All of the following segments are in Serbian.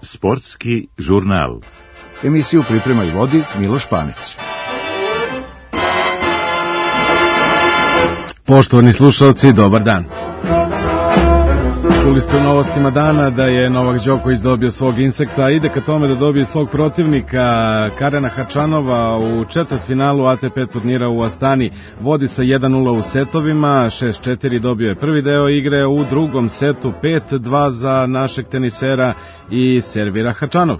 Sportski žurnal. Emisiju priprema i vodi Miloš Panić. Poštovani slušalci, dobar dan. Čuli ste u novostima dana da je Novak Đoković dobio svog insekta, ide ka tome da dobije svog protivnika Karena Hačanova u četvrtfinalu ATP turnira u Astani. Vodi sa 1-0 u setovima, 6-4 dobio je prvi deo igre, u drugom setu 5-2 za našeg tenisera i servira Hačanov.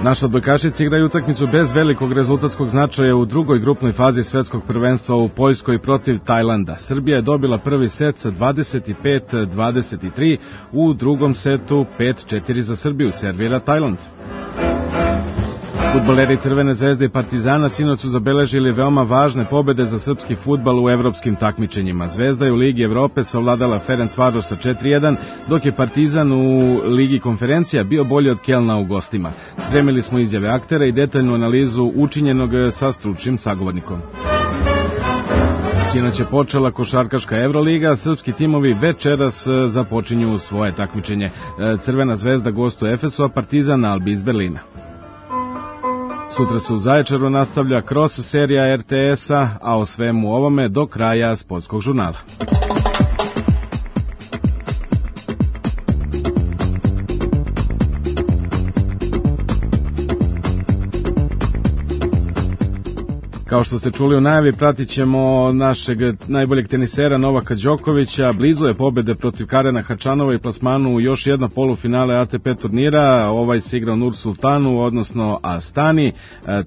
Naša odbojkašica igraju utakmicu bez velikog rezultatskog značaja u drugoj grupnoj fazi svetskog prvenstva u Poljskoj protiv Tajlanda. Srbija je dobila prvi set sa 25-23, u drugom setu 5-4 za Srbiju, servira Tajland. Fudbaleri Crvene zvezde i Partizana sinoć su zabeležili veoma važne pobede za srpski fudbal u evropskim takmičenjima. Zvezda je u Ligi Evrope savladala Ferencvaroš sa 4-1, dok je Partizan u Ligi konferencija bio bolji od Kelna u gostima. Spremili smo izjave aktera i detaljnu analizu učinjenog sa stručnim sagovornikom. Sinoć je počela košarkaška Evroliga, srpski timovi večeras započinju svoje takmičenje. Crvena zvezda gostuje Efesu, a Partizan Albi iz Berlina. Sutra se u Zaječaru nastavlja cross serija RTS-a, a o svemu ovome do kraja sportskog žurnala. Kao što ste čuli u najavi, pratit ćemo našeg najboljeg tenisera Novaka Đokovića. Blizu je pobede protiv Karena Hačanova i plasmanu u još jedno polufinale ATP turnira. Ovaj se igra u Nur Sultanu, odnosno Astani.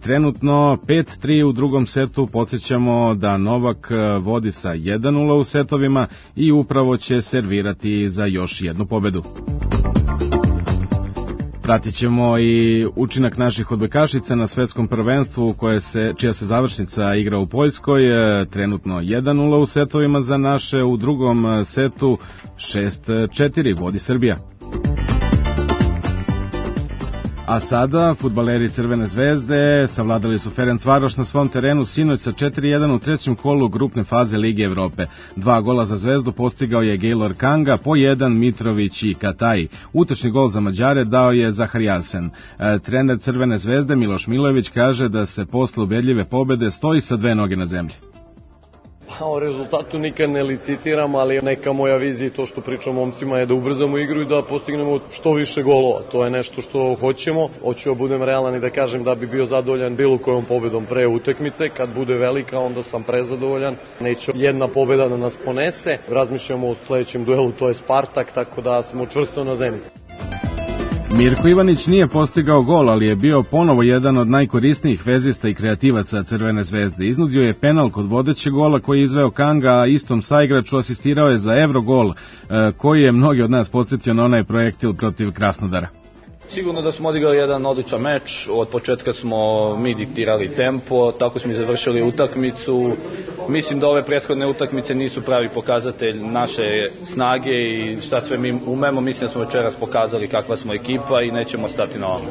Trenutno 5-3 u drugom setu. Podsjećamo da Novak vodi sa 1-0 u setovima i upravo će servirati za još jednu pobedu. Pratit ćemo i učinak naših odbojkašica na svetskom prvenstvu čija se završnica igra u Poljskoj. Trenutno 1-0 u setovima za naše, u drugom setu 6-4 vodi Srbija. A sada, fudbaleri Crvene zvezde savladali su Ferencvaroš na svom terenu sinoć sa 4-1 u trećem kolu grupne faze Lige Evrope. 2 gola za Zvezdu postigao je Gaylor Kanga, po 1 Mitrović i Kataj. Utečni gol za Mađare dao je Zaharijasen. Trener Crvene zvezde Miloš Milojević kaže da se posle ubedljive pobede stoji sa 2 noge na zemlji. O rezultatu nikad ne licitiram, ali neka moja vizija i to što pričam momcima je da ubrzamo igru i da postignemo što više golova. To je nešto što hoćemo. Hoću da budem realan i da kažem da bi bio zadovoljan bilo kojom pobedom pre utakmice. Kad bude velika, onda sam prezadovoljan. Neće jedna pobeda da nas ponese. Razmišljamo o sledećem duelu, to je Spartak, tako da smo čvrsto na zemlji. Mirko Ivanić nije postigao gol, ali je bio ponovo jedan od najkorisnijih vezista i kreativaca Crvene zvezde. Iznudio je penal kod vodećeg gola koji je izveo Kanga, a istom saigraču asistirao je za Evrogol, koji je mnogi od nas podsjetio na onaj projektil protiv Krasnodara. Sigurno da smo odigrali jedan odličan meč, od početka smo mi diktirali tempo, tako smo i završili utakmicu. Mislim da ove prethodne utakmice nisu pravi pokazatelj naše snage i šta sve mi umemo. Mislim da smo večeras pokazali kakva smo ekipa i nećemo stati na ovome.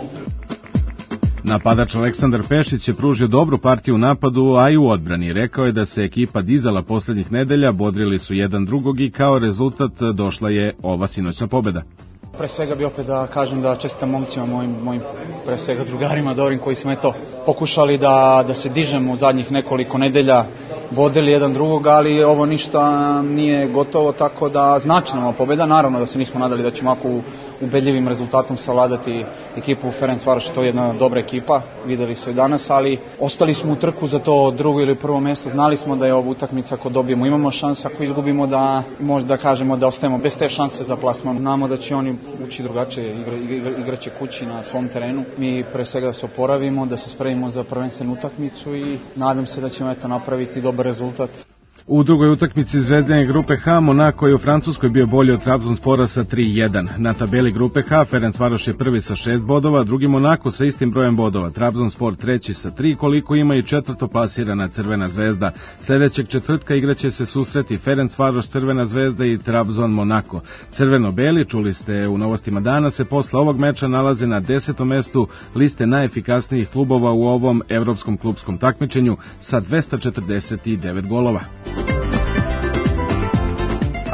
Napadač Aleksandar Pešić je pružio dobru partiju u napadu, a i u odbrani. Rekao je da se ekipa dizala poslednjih nedelja, bodrili su jedan drugog i kao rezultat došla je ova sinoćna pobeda. Pre svega bi opet da kažem da čestitam momcima, mojim pre svega drugarima dobrim koji smo pokušali da se dižemo u zadnjih nekoliko nedelja, bodrili jedan drugog, ali ovo ništa nije gotovo, tako da znači nam pobeda. Naravno da se nismo nadali da ćemo ovako ubedljivim rezultatom savladati ekipu Ferencvaroš, to je jedna dobra ekipa, videli su i danas, ali ostali smo u trku za to drugo ili prvo mesto. Znali smo da je ova utakmica, ako dobijemo imamo šanse, ako izgubimo da možda kažemo da ostajemo bez te šanse za plasman. Znamo da će oni ući drugačije, igraće kući na svom terenu. Mi pre svega da se oporavimo, da se spremimo za prvenstvenu utakmicu i nadam se da ćemo napraviti dobar rezultat. U drugoj utakmici Zvezdine grupe H, Monako je u Francuskoj bio bolji od Trabzonspora sa 3-1. Na tabeli grupe H, Ferencvaroš je prvi sa 6 bodova, drugi Monako sa istim brojem bodova, Trabzonspor treći sa 3, koliko ima i četvrto plasirana Crvena zvezda. Sledećeg četvrtka igraće se susreti Ferencvaroš, Crvena zvezda i Trabzon Monako. Crveno-beli, čuli ste u novostima dana, se posle ovog meča nalaze na 10. mestu liste najefikasnijih klubova u ovom evropskom klubskom takmičenju sa 249 golova.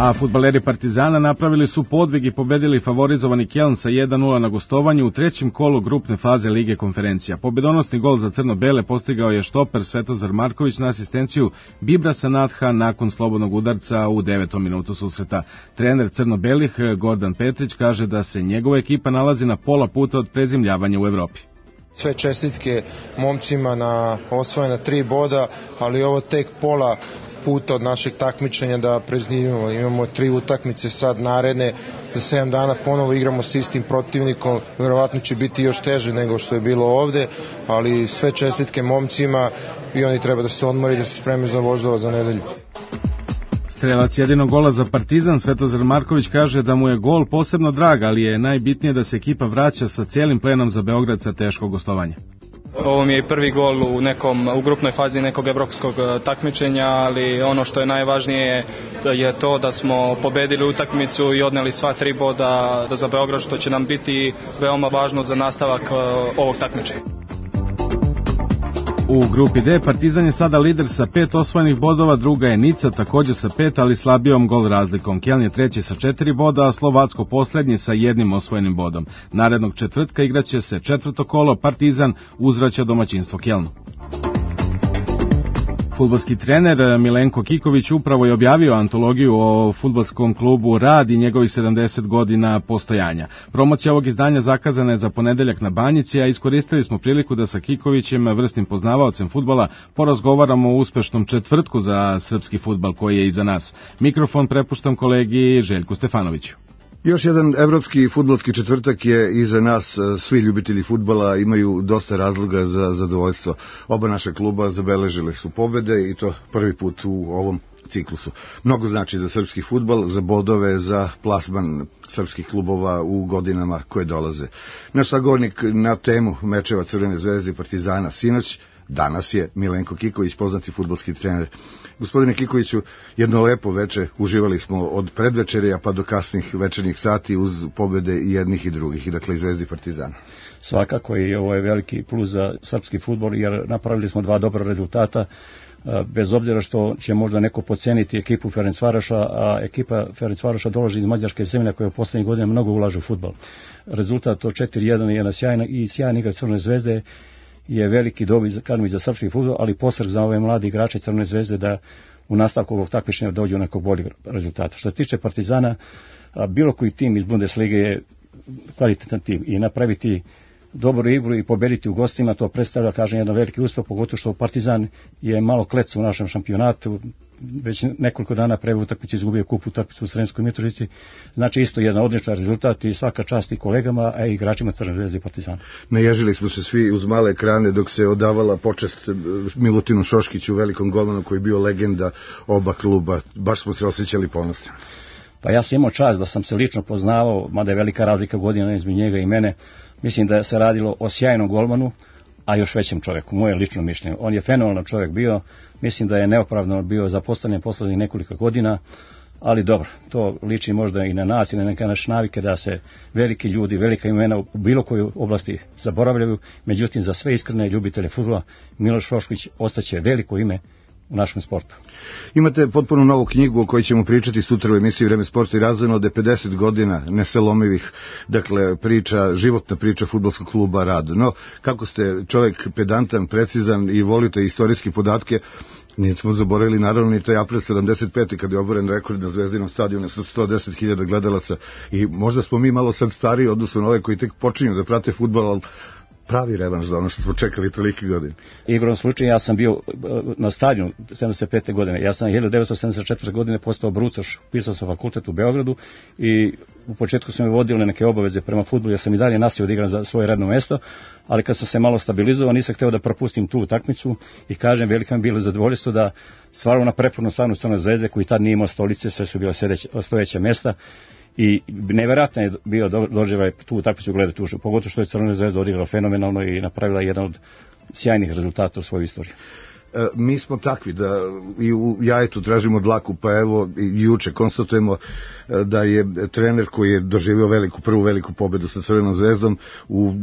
A fudbaleri Partizana napravili su podvig i pobedili favorizovani Keln sa 1:0 na gostovanju u trećem kolu grupne faze Lige konferencija. Pobedonosni gol za crno-bele postigao je štoper Svetozar Marković na asistenciju Bibrasa Natha nakon slobodnog udarca u 9. minutu susreta. Trener crno-belih Gordan Petrić kaže da se njegova ekipa nalazi na pola puta od prezimljavanja u Evropi. Sve čestitke momcima na osvojena 3 boda, ali ovo tek pola puta od našeg takmičenja da prezimljamo. Imamo 3 utakmice sad naredne, za 7 dana ponovo igramo s istim protivnikom, verovatno će biti još teže nego što je bilo ovde, ali sve čestitke momcima i oni treba da se odmore i da se spreme za Voždovac za nedelju. Strelac jedinog gola za Partizan Svetozar Marković kaže da mu je gol posebno drag, ali je najbitnije da se ekipa vraća sa cijelim plenom za Beograd sa teškog gostovanja. Ovo mi je prvi gol u grupnoj fazi nekog evropskog takmičenja, ali ono što je najvažnije je to da smo pobedili utakmicu i odneli sva 3 boda za Beograd, što će nam biti veoma važno za nastavak ovog takmičenja. U grupi D Partizan je sada lider sa 5 osvojenih bodova, druga je Nica također sa 5, ali slabijom gol razlikom. Keln je treći sa 4 boda, a Slovacko poslednji sa 1 osvojenim bodom. Narednog četvrtka igraće se 4. kolo, Partizan uzvraća domaćinstvo Kelnu. Fudbalski trener Milenko Kiković upravo je objavio antologiju o fudbalskom klubu Rad i njegovih 70 godina postojanja. Promocija ovog izdanja zakazana je za ponedeljak na Banjici, a iskoristili smo priliku da sa Kikovićem, vrsnim poznavaocem fudbala, porazgovaramo o uspešnom četvrtku za srpski fudbal koji je iza nas. Mikrofon prepuštam kolegi Željku Stefanoviću. Još jedan evropski fudbalski četvrtak je iza nas. Svi ljubitelji fudbala imaju dosta razloga za zadovoljstvo. Oba naša kluba zabeležile su pobede i to prvi put u ovom ciklusu. Mnogo znači za srpski fudbal, za bodove, za plasman srpskih klubova u godinama koje dolaze. Naš sagovornik na temu mečeva Crvene zvezde i Partizana sinoć danas je Milenko Kiković, poznati fudbalski trener. Gospodine Kikoviću, jedno lepo veče, uživali smo od predvečerja pa do kasnih večernjih sati uz pobede i jednih i drugih, dakle i Zvezdi i Partizana. Svakako i ovo je veliki plus za srpski fudbal jer napravili smo 2 dobra rezultata, bez obzira što će možda neko podceniti ekipu Ferencvaroša, a ekipa Ferencvaroša dolazi iz mađarske zemlje koja u poslednjih godina mnogo ulaže u fudbal. Rezultat od 4:1 je jedna sjajna igra Crvene zvezde, je veliki dobi za srpski fudbal, ali posrg za ove mlade igrače Crvene zvezde da u nastavku ovog takmičenja dođu do nekog boljeg rezultata. Što se tiče Partizana, bilo koji tim iz Bundeslige je kvalitetan tim i napraviti dobru igru i pobediti u gostima, to predstavlja, kažem, jedan veliki uspeh, pogotovo što Partizan je malo klec u našem šampionatu, već nekoliko dana pre utakmice izgubio kup utakmicu u Sremskoj Mitrovici, znači isto jedan odličan rezultat i svaka čast i kolegama, a i igračima Crvene zvezde i Partizana. Naježili smo se svi uz male ekrane dok se odavala počest Milutinu Šoškiću, velikom golmanu koji je bio legenda oba kluba, baš smo se osjećali ponosni. Pa ja sam imao čast da sam se lično poznavao, mada je velika razlika godina između njega i mene. Mislim da se radilo o sjajnom golmanu, a još većem čovjeku, moje lično mišljenje. On je fenomenalan čovjek bio, mislim da je neopravdano bio zapostavljen poslednjih nekoliko godina, ali dobro, to liči možda i na nas i na neke naše navike da se veliki ljudi, velika imena u bilo kojoj oblasti zaboravljaju, međutim za sve iskrene ljubitelje fudbala Miloš Šoškić ostaće veliko ime u našem sportu. Imate potpuno novu knjigu o kojoj ćemo pričati sutra u emisiji Vreme sporta i razvojno od 50 godina neselomivih, dakle životna priča fudbalskog kluba Rad. No, kako ste čovjek pedantan, precizan i volite istorijske podatke, nismo zaboravili naravno ni taj april 75. kad je oboren rekord na Zvezdinom stadionu sa 110.000 gledalaca i možda smo mi malo sad stariji odnosno na ove koji tek počinju da prate fudbal, ali pravi revanš za ono što smo čekali toliki godin. Igrom slučaju ja sam bio na stadionu 75. godine. Ja sam 1974. godine postao brucoš, pisao sam fakultet u Beogradu i u početku sam mi vodili neke obaveze prema fudbalu, ja sam i dalje nasio da igram za svoje radno mesto, ali kad sam se malo stabilizovao nisam hteo da propustim tu utakmicu i kažem, veliko mi bilo zadovoljstvo da stvarno na prepornu stanu Crvene zvezde koji tad nije imao stolice, sve su bila stojeća mesta. I nevjerojatno je bio doživljaj tu utakmicu gledati uživo, pogotovo što je Crvena zvezda odigrala fenomenalno i napravila jedan od sjajnih rezultata u svojoj istoriji. Mi smo takvi da i u jajetu tražimo dlaku, pa evo i juče konstatujemo da je trener koji je doživio prvu veliku pobedu sa Crvenom zvezdom u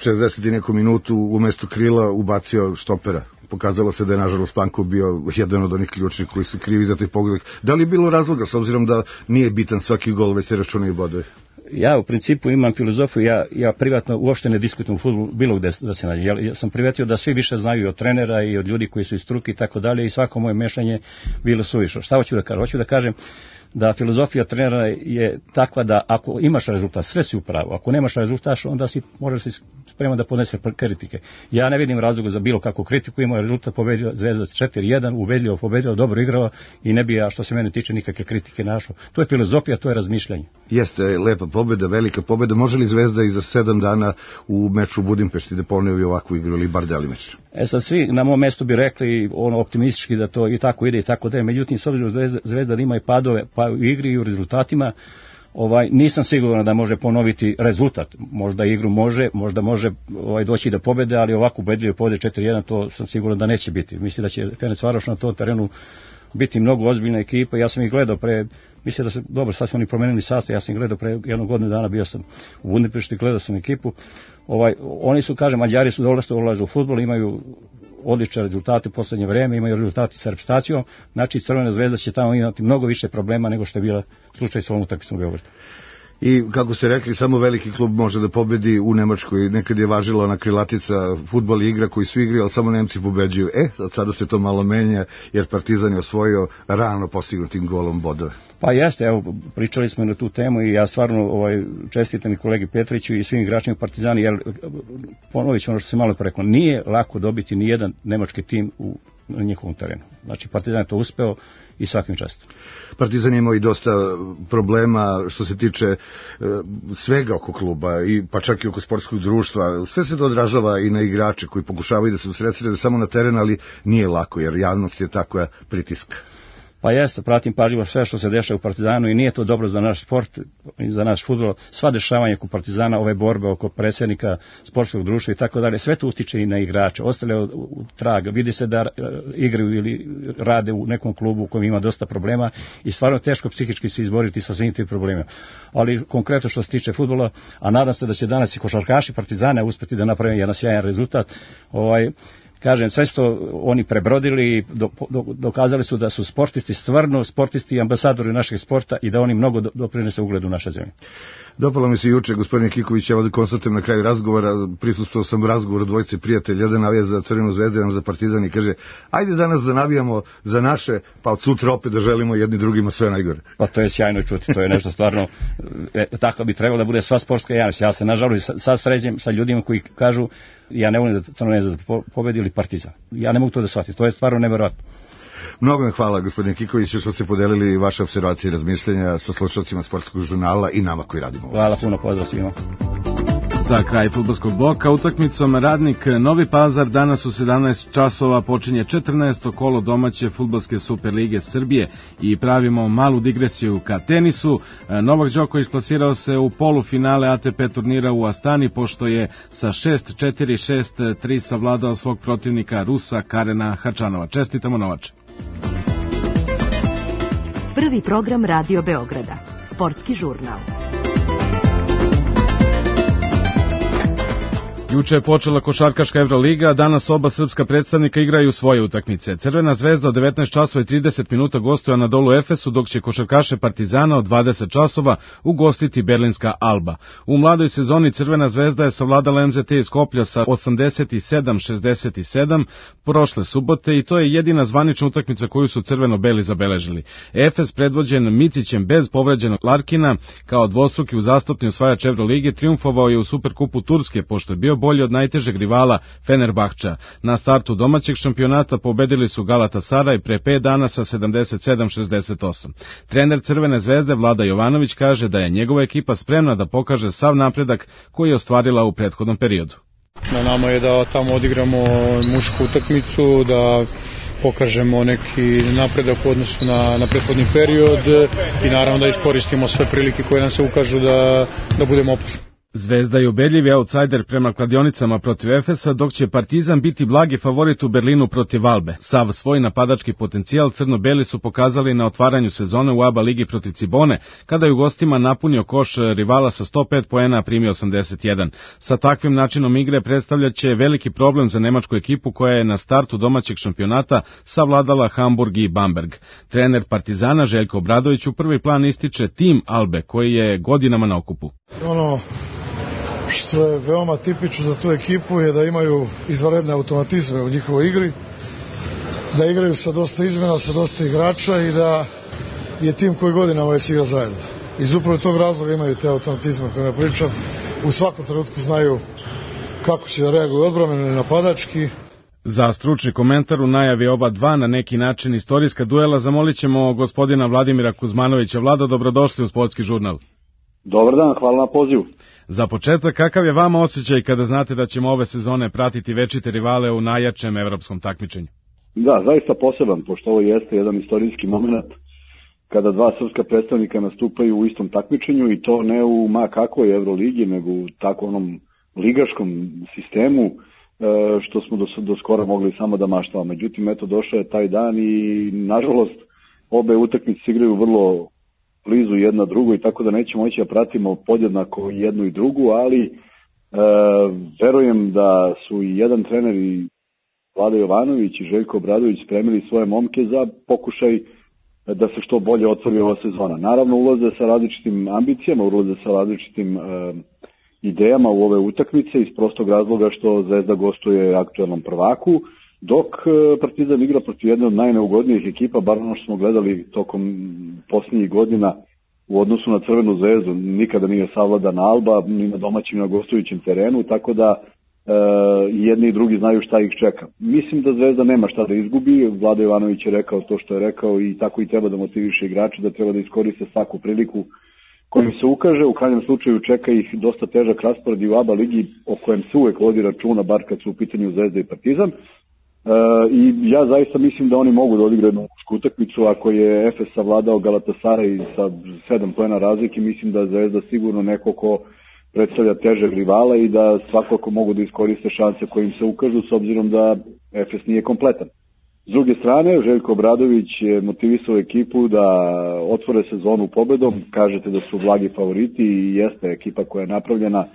60 i nekom minutu umesto krila ubacio štopera. pokazalo se da je nažalost Pankov bio jedan od onih ključnih koji su krivi za taj pogodak. Da li je bilo razloga, s obzirom da nije bitan svaki gol, već se računaju bodovi? Ja u principu imam filozofiju, ja privatno uopšte ne diskutujem u fudbalu bilo gde da se nađe. Ja sam primetio da svi više znaju i od trenera i od ljudi koji su iz struke i tako dalje i svako moje mešanje bilo suvišno. Šta hoću da kažem? Hoću da kažem da filozofija trenera je takva da ako imaš rezultat, sve si u pravu. Ako nemaš rezultat, onda si moraš se spreman da podnese kritike. Ja ne vidim razloga za bilo kakvu kritiku, imao je rezultat, pobedio Zvezda 4-1, ubedljivo pobedio, dobro igrao i ne bi ja, što se mene tiče, nikakve kritike našao. To je filozofija, to je razmišljanje. Jeste lepa pobeda, velika pobeda. Može li Zvezda i za 7 dana u meču u Budimpešti da ponovi ovakvu igru ili bar delimično? Sad svi na mom mestu bi rekli optimistički da to i tako ide i tako da. Međutim, s obzirom da Zvezda ima i padove, pa u igri i u rezultatima, nisam siguran da može ponoviti rezultat. Možda igru može, možda može doći do pobede, ali ovako ubedljivo pobede 4-1, to sam siguran da neće biti. Mislim da će Ferencvaroš na tom terenu biti mnogo ozbiljna ekipa. Ja sam ih gledao mislim da se, dobro, sad su oni promenili sastav, ja sam ih gledao pre jednog godinu dana, bio sam u Budimpešti, gledao sam ekipu. Oni su, kažem, Mađari su ulažu u fudbal, imaju odlične rezultate u poslednje vreme, imaju rezultati sa reprezentacijom, znači Crvena Zvezda će tamo imati mnogo više problema nego što je bila slučaj sa ovom utakmicom u Beogradu. I kako ste rekli, samo veliki klub može da pobedi u Nemačkoj. Nekad je važila ona krilatica, fudbal igra koji su igri, ali samo Nemci pobeđuju. Sada se to malo menja, jer Partizan je osvojio rano postignutim golom bodove. Pa jeste, evo, pričali smo na tu temu i ja stvarno čestitam i kolegi Petriću i svim igračima Partizana, jer ponovit ću ono što se malo rekao, nije lako dobiti ni jedan nemački tim na njihovom terenu. Znači, Partizan je to uspeo i svakim častom. Partizan imao i dosta problema što se tiče svega oko kluba, pa čak i oko sportskog društva. Sve se to odražava i na igrače koji pokušavaju da se usredsrede samo na teren, ali nije lako, jer javnost je takva pritiska. Pa jeste, pratim pažljivo sve što se dešava u Partizanu i nije to dobro za naš sport i za naš fudbal. Sva dešavanja oko Partizana, ove borbe oko predsjednika sportskog društva i tako dalje, sve to utiče i na igrače. Ostale u traga, vidi se da igraju ili rade u nekom klubu u kojem ima dosta problema i stvarno teško psihički se izboriti sa svim tim problemima. Ali konkretno što se tiče fudbala, a nadam se da će danas i košarkaši Partizana uspeti da naprave jedan sjajan rezultat, kažem, sve što oni prebrodili i dokazali su da su sportisti, stvarno sportisti i ambasadori našeg sporta i da oni mnogo doprinose ugledu naše zemlje. Dopalo mi se juče, gospodine Kiković, evo da konstatujem na kraju razgovora, prisustvovao sam u razgovoru dvojice prijatelja, jedan navija za Crvenu Zvezdu, jedan za Partizan i kaže, ajde danas da navijamo za naše, pa od sutra opet da želimo jedni drugima sve najgore. Pa to je sjajno čuti, to je nešto stvarno, tako bi trebalo da bude sva sportska javnost. Ja se nažalost sad sređem sa ljudima koji kažu, ja ne volim da Crvena Zvezda pobedi ili Partizan. Ja ne mogu to da shvatim, to je stvarno neverovatno. Mnogo vam hvala, gospodine Kiković, što ste podelili vaše observacije i razmišljenja sa slušalcima Sportskog žurnala i nama koji radimo. Hvala puno, pozdrav svima. Za kraj fudbalskog bloka utakmicom Radnik Novi Pazar danas u 17 časova počinje 14. kolo domaće fudbalske Superlige Srbije i pravimo malu digresiju ka tenisu. Novak Đoković plasirao se u polufinale ATP turnira u Astani pošto je sa 6-4, 6-3 savladao svog protivnika Rusa Karena Hačanova. Čestitamo, Novače. Prvi program Radio Beograda, sportski žurnal. Juče je počela košarkaška Evroliga, a danas oba srpska predstavnika igraju svoje utakmice. Crvena Zvezda od 19 časova i 30 minuta gostuje Anadolu Efesu, dok će košarkaše Partizana od 20 časova ugostiti berlinska Alba. U mladoj sezoni Crvena Zvezda je savladala MZT iz Skoplja sa 87-67 prošle subote i to je jedina zvanična utakmica koju su crveno-beli zabeležili. Efes, predvođen Micićem bez povređenog Larkina, kao dvostruki uzastopni osvajač Evrolige, triumfovao je u Superkupu Turske, pošto je bio bolji od najtežeg rivala Fenerbahča. Na startu domaćeg šampionata pobedili su Galatasaraj pre 5 dana sa 77-68. Trener Crvene Zvezde Vlada Jovanović kaže da je njegova ekipa spremna da pokaže sav napredak koji je ostvarila u prethodnom periodu. Na nama je da tamo odigramo mušku utakmicu, da pokažemo neki napredak u odnosu na prethodni period i naravno da iskoristimo sve prilike koje nam se ukažu da budemo opasni. Zvezda je ubedljivi outsider prema kladionicama protiv Efesa, dok će Partizan biti blagi favorit u Berlinu protiv Albe. Sav svoj napadački potencijal crno-beli su pokazali na otvaranju sezone u ABA ligi protiv Cibone, kada je u gostima napunio koš rivala sa 105 poena, a primio 81. Sa takvim načinom igre predstavljaće veliki problem za nemačku ekipu koja je na startu domaćeg šampionata savladala Hamburg i Bamberg. Trener Partizana Željko Obradović u prvi plan ističe tim Albe koji je godinama na okupu. Ono što je veoma tipično za tu ekipu je da imaju izvanredne automatizme u njihovoj igri, da igraju sa dosta izmena, sa dosta igrača i da je tim koji godinama već igra zajedno. Iz upravo tog razloga imaju te automatizme koje ja pričam. U svakom trenutku znaju kako će da reaguju odbrambeno i napadački. Za stručni komentar u najavi oba dva na neki način istorijska duela zamolit ćemo gospodina Vladimira Kuzmanovića. Vlado, dobrodošli u Sportski žurnal. Dobar dan, hvala na pozivu. Za početak, kakav je vama osjećaj kada znate da ćemo ove sezone pratiti večite rivale u najjačem evropskom takmičenju? Da, zaista poseban, pošto ovo jeste jedan istorijski moment kada dva srpska predstavnika nastupaju u istom takmičenju i to ne u ma kakvoj Evroligi, nego u tako onom ligaškom sistemu što smo do skora mogli samo da maštamo. Međutim, eto, došao je taj dan i nažalost obe utakmice igraju vrlo blizu jedna drugoj, tako da nećemo moći da pratimo podjednako jednu i drugu, ali verujem da su i jedan trener i Vlada Jovanović i Željko Obradović spremili svoje momke za pokušaj da se što bolje otvori ova sezona. Naravno, ulaze sa različitim ambicijama, ulaze sa različitim idejama u ove utakmice iz prostog razloga što Zvezda gostuje aktuelnom prvaku, dok Partizan igra protiv jedne od najneugodnijih ekipa, bar ono što smo gledali tokom posljednjih godina u odnosu na Crvenu zvezdu. Nikada nije savladana Alba, ni na domaćim ni na gostujućem terenu, tako da jedni i drugi znaju šta ih čeka. Mislim da Zvezda nema šta da izgubi, Vlada Jovanović je rekao to što je rekao i tako i treba da motiviše igrače, da treba da iskoriste svaku priliku kojim se ukaže. U krajnjem slučaju čeka ih dosta težak raspored i u ABA ligi o kojem se uvek vodi računa, bar kad su u pitanju Zvezda i Partizan. I ja zaista mislim da oni mogu da odigraju jednu utakmicu. Ako je Efes savladao Galatasaray sa 7 poena razlike, mislim da Zvezda sigurno neko ko predstavlja težeg rivala i da svakako mogu da iskoriste šanse kojim se ukažu, s obzirom da Efes nije kompletan. S druge strane, Željko Obradović je motivisao ekipu da otvore sezonu pobedom. Kažete da su blagi favoriti i jeste ekipa koja je napravljena.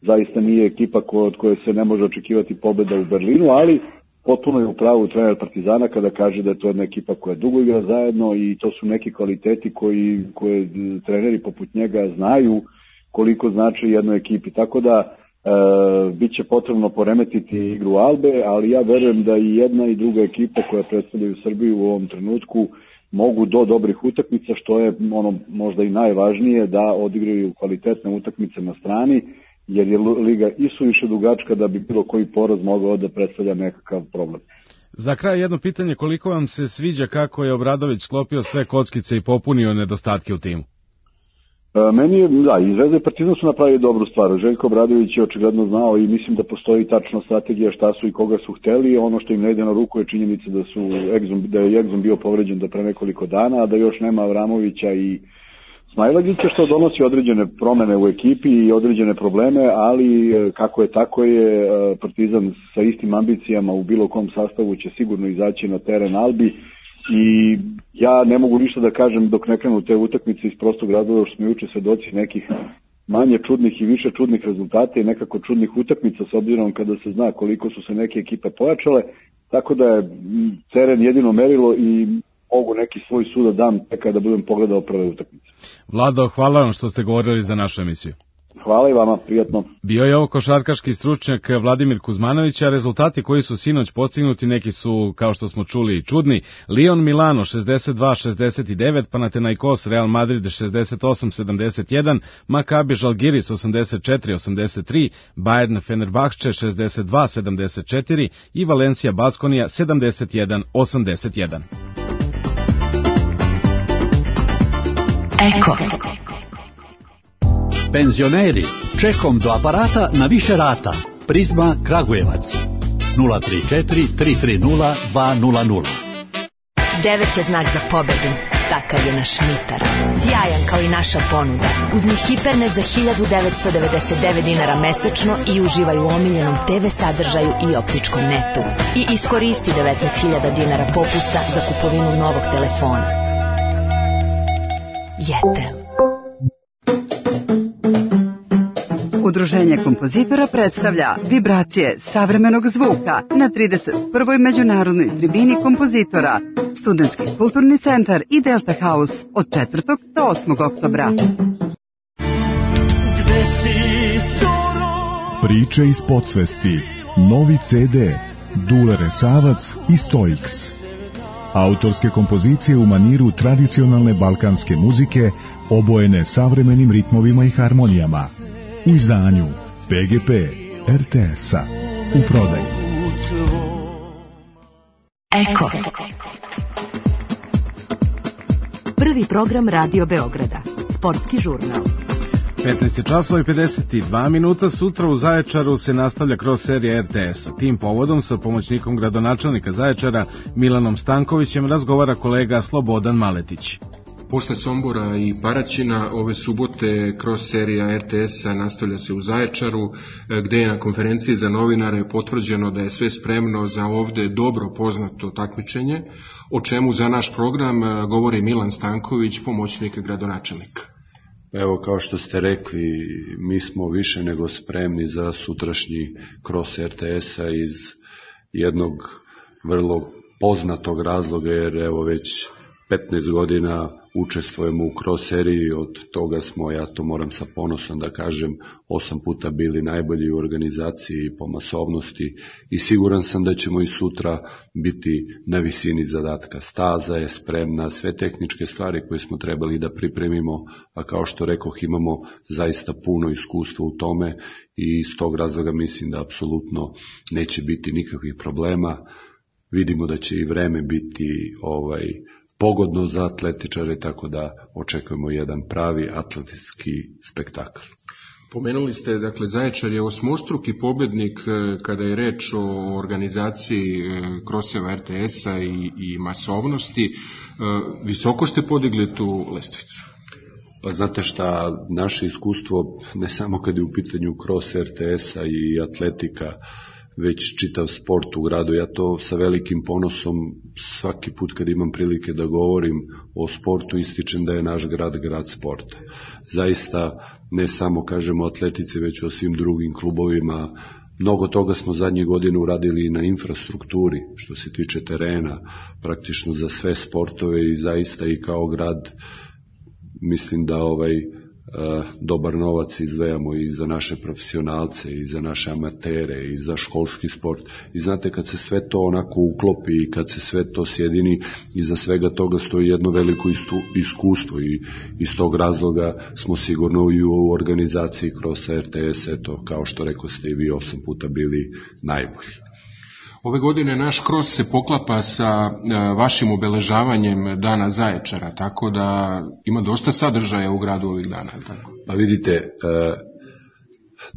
Zaista nije ekipa od koje se ne može očekivati pobeda u Berlinu, ali potpuno je u pravu trener Partizana kada kaže da je to jedna ekipa koja dugo igra zajedno i to su neki kvaliteti koje treneri poput njega znaju koliko znači jednoj ekipi. Tako da bit će potrebno poremetiti igru Albe, ali ja verujem da i jedna i druga ekipa koja predstavljaju Srbiju u ovom trenutku mogu do dobrih utakmica, što je ono možda i najvažnije, da odigraju kvalitetne utakmice na strani, jer je liga isuviše dugačka da bi bilo koji poraz mogao da predstavlja nekakav problem. Za kraj jedno pitanje, koliko vam se sviđa kako je Obradović sklopio sve kockice i popunio nedostatke u timu? Meni je, da, i Zvezda i Partizan su napravili dobru stvar. Željko Obradović je očigledno znao i mislim da postoji tačno strategija šta su i koga su hteli. Ono što im ne ide na ruku je činjenica da je Egzum bio povređen do pre nekoliko dana, a da još nema Avramovića i Smajlagića, što donosi određene promene u ekipi i određene probleme, ali kako je tako je, Partizan sa istim ambicijama u bilo kom sastavu će sigurno izaći na teren Albi. I ja ne mogu ništa da kažem dok ne krenu te utakmice iz prostog razloga što smo juče svedoci nekih manje čudnih i više čudnih rezultata i nekako čudnih utakmica, s obzirom kada se zna koliko su se neke ekipe pojačale, tako da je teren jedino merilo i mogu neki svoj sud da dam kada budem pogledao prve utakmice. Vlado, hvala vam što ste govorili za našu emisiju. Hvala i vama, prijatno. Bio je ovo košarkaški stručnjak Vladimir Kuzmanović, a rezultati koji su sinoć postignuti neki su, kao što smo čuli, čudni. Lyon Milano 62-69, Panathinaikos Real Madrid 68-71, Maccabi Žalgiris 84-83, Bayern Fenerbahče 62-74 i Valencia Baskonija 71-81. Eko. Penzioneri, čekom do aparata na više rata. Prizma Kragujevac 034 330 200. 9 je znak za pobedu. takav je naš Mitar. Sjajan kao i naša ponuda. Uzmi Hipernet za 1999 dinara mesečno i uživaj u omiljenom TV sadržaju i optičkom netu. I iskoristi 19.000 dinara popusta za kupovinu novog telefona. Jetel. Udruženje kompozitora predstavlja vibracije savremenog zvuka na 31. međunarodnoj tribini kompozitora, Studentski kulturni centar i Delta House od 4. do 8. oktobra. Priče iz podsvesti, novi CD, Dule Resavac i Stoiks. Autorske kompozicije u maniru tradicionalne balkanske muzike, obojene savremenim ritmovima i harmonijama. U izdanju PGP RTS-a. U prodaji. Eko. Prvi program Radio Beograda. Sportski žurnal. 15 časova i 52 minuta. Sutra u Zaječaru se nastavlja kroz serija RTS-a. Tim povodom sa pomoćnikom gradonačelnika Zaječara Milanom Stankovićem razgovara kolega Slobodan Maletić. Posle Sombora i Paraćina, ove subote kroz serija RTS-a nastavlja se u Zaječaru, gde je na konferenciji za novinare potvrđeno da je sve spremno za ovde dobro poznato takmičenje, o čemu za naš program govori Milan Stanković, pomoćnik gradonačelnika. Evo, kao što ste rekli, mi smo više nego spremni za sutrašnji cross RTS-a iz jednog vrlo poznatog razloga, jer evo već 15 godina učestvujemo u cross seriji, od toga smo, ja to moram sa ponosom da kažem, 8 puta bili najbolji u organizaciji po masovnosti i siguran sam da ćemo i sutra biti na visini zadatka. Staza je spremna, sve tehničke stvari koje smo trebali da pripremimo, a kao što rekoh, imamo zaista puno iskustva u tome i iz tog razloga mislim da apsolutno neće biti nikakvih problema. Vidimo da će i vreme biti pogodno za atletičare, tako da očekujemo jedan pravi atletski spektakl. Pomenuli ste, dakle, Zaječar je osmostruki pobednik kada je reč o organizaciji kroseva RTS-a i masovnosti. Visoko ste podigli tu lestvicu? Pa znate šta, naše iskustvo, ne samo kad je u pitanju cross RTS-a i atletika, već čitav sport u gradu. Ja to sa velikim ponosom svaki put kad imam prilike da govorim o sportu ističem da je naš grad sporta. Zaista ne samo kažemo o atletici, već o svim drugim klubovima. Mnogo toga smo zadnjih godina uradili i na infrastrukturi što se tiče terena, praktično za sve sportove i zaista i kao grad mislim da dobar novac izdvajamo i za naše profesionalce i za naše amatere i za školski sport i znate kad se sve to onako uklopi i kad se sve to sjedini iza svega toga stoji jedno veliko iskustvo i iz tog razloga smo sigurno i u organizaciji kroz RTS, eto kao što rekao ste i vi 8 puta bili najbolji. Ove godine naš cross se poklapa sa vašim obeležavanjem Dana Zaječara, tako da ima dosta sadržaja u gradu ovih dana. Tako? Pa vidite,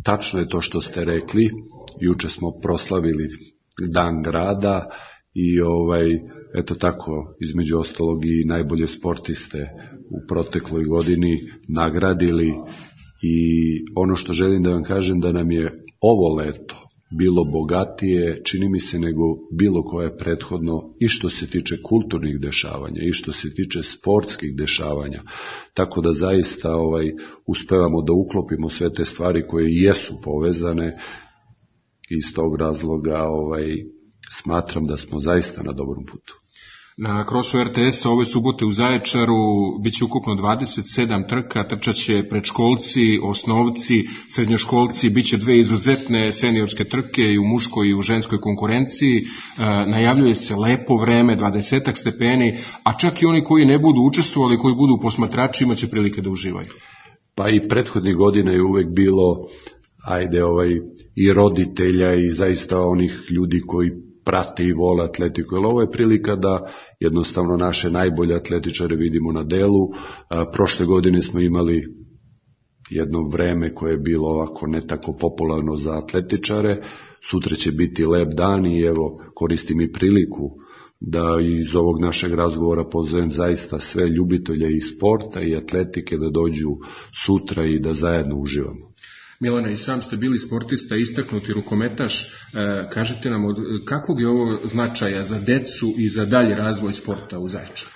tačno je to što ste rekli, juče smo proslavili Dan grada i eto tako, između ostalog i najbolje sportiste u protekloj godini nagradili i ono što želim da vam kažem da nam je ovo leto bilo bogatije, čini mi se, nego bilo koje prethodno i što se tiče kulturnih dešavanja i što se tiče sportskih dešavanja. Tako da zaista uspevamo da uklopimo sve te stvari koje jesu povezane i iz tog razloga smatram da smo zaista na dobrom putu. Na krosu RTS-a ove subote u Zaječaru biće ukupno 27 trka, trčaće predškolci, osnovci, srednjoškolci, biće 2 izuzetne seniorske trke i u muškoj i u ženskoj konkurenciji. Najavljuje se lepo vreme, 20 stepeni, a čak i oni koji ne budu učestvovali, koji budu posmatrači, imaće prilike da uživaju. Pa i prethodnih godina je uvek bilo i roditelja i zaista onih ljudi koji prate i vole atletiku, jer ovo je prilika da jednostavno naše najbolje atletičare vidimo na delu. Prošle godine smo imali jedno vreme koje je bilo ovako ne tako popularno za atletičare, sutra će biti lep dan i evo koristim i priliku da iz ovog našeg razgovora pozovem zaista sve ljubitelje i sporta i atletike da dođu sutra i da zajedno uživamo. Milana, i sam ste bili sportista, istaknuti rukometaš. Kažete nam, od kakvog je ovo značaja za decu i za dalji razvoj sporta u Zaječaru?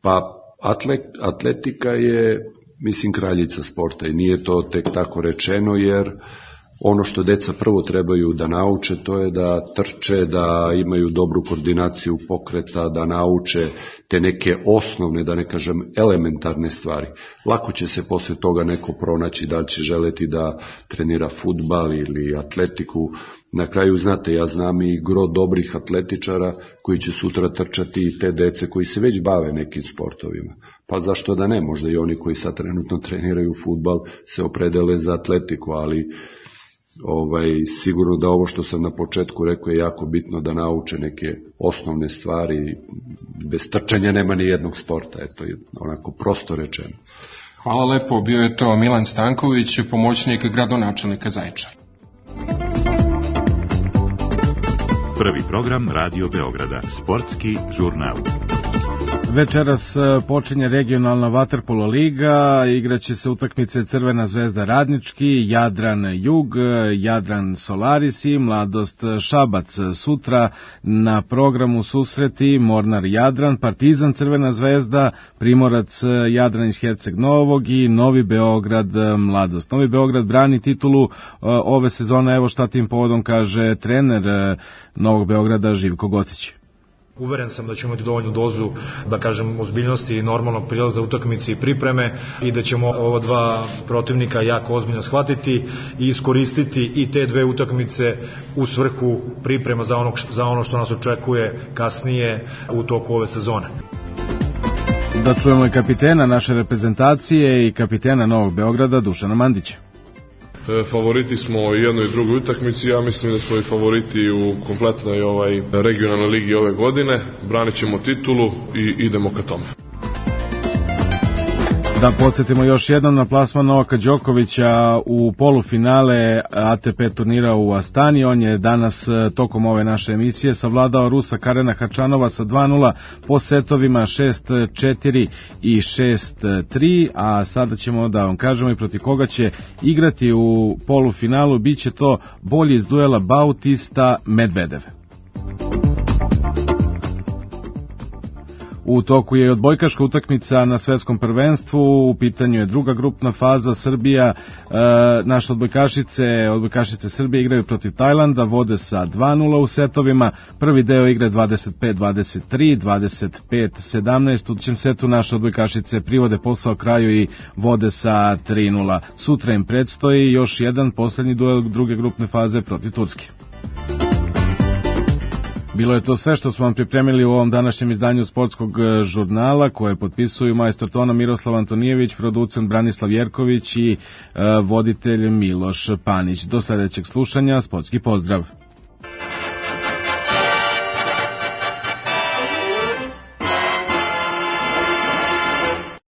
Pa atletika je, mislim, kraljica sporta i nije to tek tako rečeno, jer ono što deca prvo trebaju da nauče, to je da trče, da imaju dobru koordinaciju pokreta, da nauče te neke osnovne, da ne kažem elementarne stvari. Lako će se posle toga neko pronaći da li će želeti da trenira fudbal ili atletiku. Na kraju, znate, ja znam i gro dobrih atletičara koji će sutra trčati i te dece koji se već bave nekim sportovima. Pa zašto da ne? Možda i oni koji sad trenutno treniraju fudbal se opredele za atletiku, ali sigurno da ovo što sam na početku rekao je jako bitno da nauče neke osnovne stvari. Bez trčanja nema ni jednog sporta, eto je onako prosto rečeno. Hvala lepo, bio je to Milan Stanković, pomoćnik gradonačelnika Zaječara. Prvi program Radio Beograda, sportski žurnal. Večeras počinje regionalna vaterpolo liga, igraće se utakmice Crvena zvezda Radnički, Jadran Jug, Jadran Solaris i Mladost Šabac. Sutra na programu susreti Mornar Jadran, Partizan Crvena zvezda, Primorac Jadran iz Herceg Novog i Novi Beograd Mladost. Novi Beograd brani titulu ove sezone, evo šta tim povodom kaže trener Novog Beograda Živko Gocić. Uveren sam da ćemo imati dovoljnu dozu, da kažem, ozbiljnosti i normalnog prilaza utakmice i pripreme i da ćemo ova dva protivnika jako ozbiljno shvatiti i iskoristiti i te dve utakmice u svrhu priprema za ono što nas očekuje kasnije u toku ove sezone. Da čujemo i kapitena naše reprezentacije i kapitena Novog Beograda Dušana Mandića. Favoriti smo u jednoj i drugoj utakmici, ja mislim da smo i favoriti u kompletnoj regionalnoj ligi ove godine, branit ćemo titulu i idemo ka tome. Da podsjetimo još jednom na plasman Novaka Đokovića u polufinale ATP turnira u Astani. On je danas tokom ove naše emisije savladao Rusa Karena Hačanova sa 2-0 po setovima 6-4 i 6-3, a sada ćemo da vam kažemo i protiv koga će igrati u polufinalu. Biće to bolji iz duela Bautista Medvedev. U toku je odbojkaška utakmica na svetskom prvenstvu, u pitanju je druga grupna faza. Srbija, naše odbojkašice Srbije igraju protiv Tajlanda, vode sa 2-0 u setovima. Prvi deo igre 25-23, 25-17, u trećem setu naše odbojkašice privode posao kraju i vode sa 3-0. Sutra im predstoji još jedan poslednji duel druge grupne faze protiv Turske. Bilo je to sve što smo vam pripremili u ovom današnjem izdanju sportskog žurnala, koje potpisuju majstor tona Miroslav Antonijević, producent Branislav Jerković i voditelj Miloš Panić. Do sledećeg slušanja, sportski pozdrav!